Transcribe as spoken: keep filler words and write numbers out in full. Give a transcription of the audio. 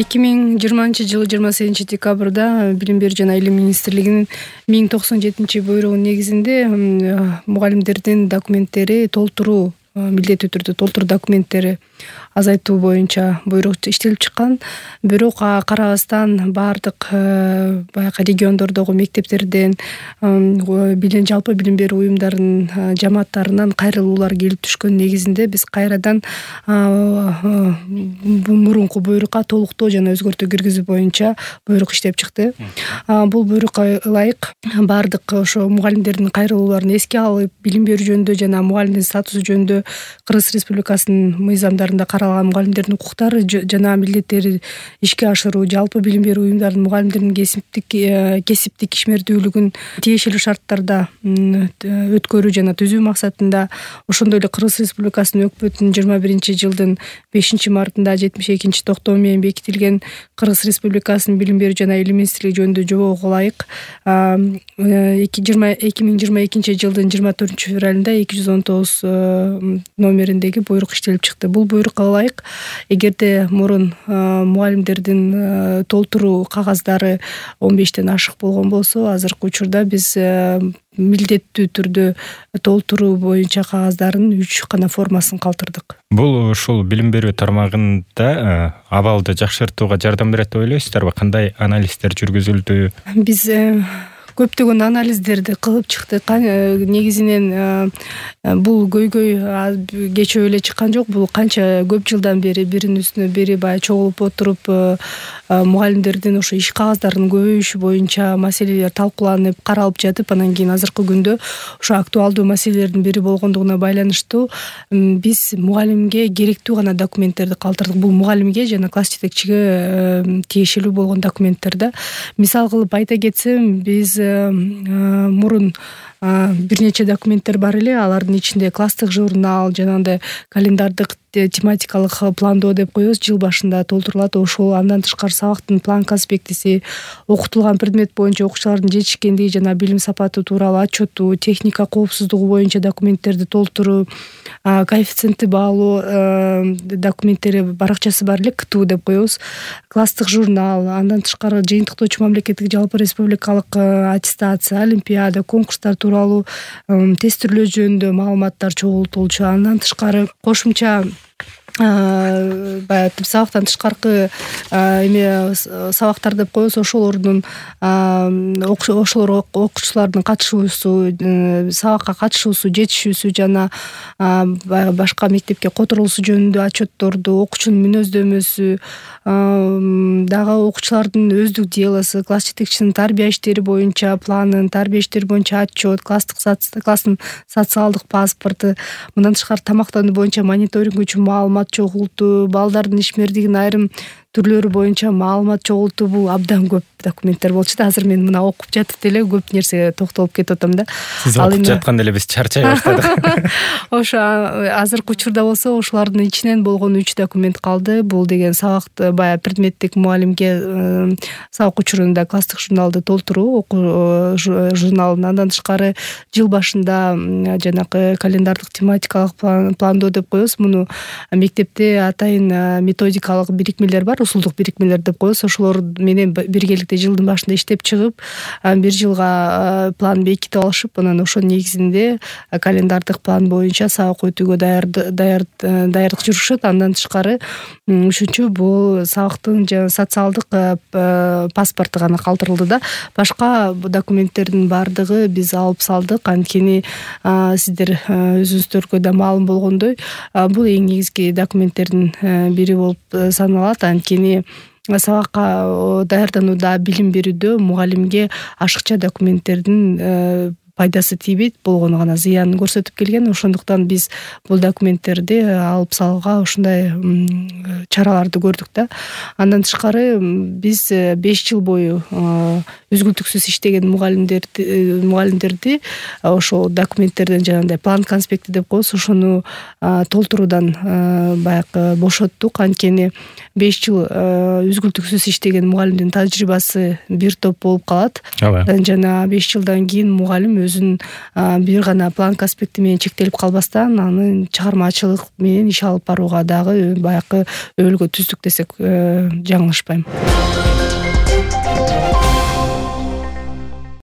эки миң жыйырманчы жылы жыйырма сегизинчи декабрда Билим берүү жана Илим министрлигинин миң токсон жетинчи буйругунун негизинде мугалимдердин документтери толтуруу, милдеттүү түрдө толтуруу документтери азайтуу боюнча буйрук иштелип чыккан. Бирок карабастан баардык баягы региондордогу мектептерден, билим жалпы билим берүү уюмдарынын жамааттарынан кайрылуулар келип түшкөн негизинде биз кайрадан мурунку буйрукка толуктоо жана өзгөртүү киргизүү боюнча буйрук иштеп чыкты. Бул буйрукка ылайык баардык ошо мугалимдердин кайрылууларын эске алып, билим берүү жөнүндө жана мугалимдин статусу жөнүндө Кыргыз Республикасынын мыйзамдарында каралган мугалимдердин укуктары жана милдеттери ишке ашыруу, жалпы билим берүү уюмдарынын мугалимдердин кесиптик кесиптик ишмердүүлүгүн тиешелүү шарттарда өткөрүү жана түзүү максатында, ошондой эле Кыргыз Республикасынын өкмөтүнүн жыйырма биринчи жылдын бешинчи мартында жетимиш экинчи токтому менен бекитилген Кыргыз Республикасынын билим берүү жана Илим министрлиги жөнүндө жобого ылайык эки миң жыйырма экинчи жылдын жыйырма төртүнчү февралында эки жүз он тогуз номериндеги буйрук иштелип чыкты. Бул буйрукка ылайык эгерде мурун мугалимдердин толтуруу кагаздары он бештен ашык болгон болсо, азыркы учурда биз милдеттүү түрдө толтуруу боюнча кагаздардын үч гана формасын калтырдык. Бул ушул билим берүү тармагында абалды жакшыртууга жардам берет деп ойлойсуздарбы? Кандай анализдер жүргүзүлдү? Биз көптөгөн анализдерди кылып чыктык. Негизинен бул көйгөй кечөө эле чыккан жок. Бул канча көп жылдан бери биринин үстүнө бири баягы чогулуп отуруп мугалимдердин ошо иш кагаздарынын көбөйүшү боюнча маселелер талкууланып, каралып жатып, анан кийин азыркы күндө ошо актуалдуу маселелердин бири болгондугуна байланыштуу биз мугалимге керектүү гана документтерди калтырдык. Бул мугалимге жана класс жетекчиге тиешелүү болгон документтер да. Мисал кылып айта кетсем, биз мурун бир нече документтер бар эле. Алардын ичинде класстык журнал, жанагындай календардык тематикалык пландоо деп коебуз, жыл башында толтурулат. Ошол андан тышкары сабактын план конспектиси, окутулган предмет боюнча окуучулардын жетишкендиги жана билим сапаты тууралуу отчету, техника коопсуздугу боюнча документтерди толтуруу, коэффициентти баалоо документтери баракчасы бар эле, КТУ деп коебуз. Класстык журнал, андан тышкары жыйынтыктоочу мамлекеттик жалпы республикалык аттестация, олимпиада, конкурстар тууралуу тестирлөө жөнүндө маалыматтар чогултулчу. Андан тышкары кошумча баягы сабактан тышкаркы эме сабактар деп коебуз, ошолордун ошолор окуучулардын катышуусу, сабакка катышуусу, жетишүүсү жана баягы башка мектепке которулуусу жөнүндө отчетторду, окуучунун мүнөздөмөсү, дагы окуучулардын өздүк делосу, класс жетекчисинин тарбия иштери боюнча планын, тарбия иштери боюнча отчет, класстык класстын социалдык паспорту, мындан тышкары тамактануу боюнча мониторинг үчүн маалымат чогултуу, балдардын ишмердигинин айрым түрлөрү боюнча маалымат чогултуу. Бул абдан көп документтер болчу да. Азыр мен мына окуп жатып деле көп нерсеге токтолуп кетип атам да. Сиз окуп жатканда эле биз чарчай баштадык. Ошо азыркы учурда болсо ошолардын ичинен болгон үч документ калды. Бул деген сабакты баягы предметтик мугалимге сабак учурунда класстык журналды толтуруу, окуу журналын. Андан тышкары жыл башында жанагы календардык тематикалык пландоо деп коебуз. Муну мектепте атайын методикалык бирикмелер бар, усулдук бирикмелер деп коебуз. Ошолор менен биргеликте жылдын башында иштеп чыгып, бир жылга план бекитип алышып, анан ошонун негизинде календардык план боюнча сабак өтүүгө даярдык жүрүшөт. Андан тышкары үчүнчү бул сабактын жана социалдык паспорту гана калтырылды да. Башка документтердин баардыгы биз алып салдык. Анткени сиздер өзүңүздөргө да маалым болгондой, бул эң негизги документтердин бири болуп саналат. Анткени сабакка даярданууда, билим берүүдө мугалимге ашыкча документтердин пайдасы тийбейт, болгону гана зыянын көрсөтүп келген. Ошондуктан биз бул документтерди алып салууга ушундай чараларды көрдүк да. Андан тышкары биз беш жыл бою үзгүлтүксүз иштеген мугалимдерди мугалимдерди ошол документтерден, жанагындай план конспекти деп коебуз, ошону толтуруудан баягы бошоттук. Анткени беш жыл үзгүлтүксүз иштеген мугалимдин тажрыйбасы бир топ болуп калат. Жана беш жылдан кийин мугалим өзүнүн бир гана планка аспекти менен чектелип калбастан анын чыгармачылык менен иш алып барууга дагы баягы өбөлгө түздүк десек жаңылышпайм.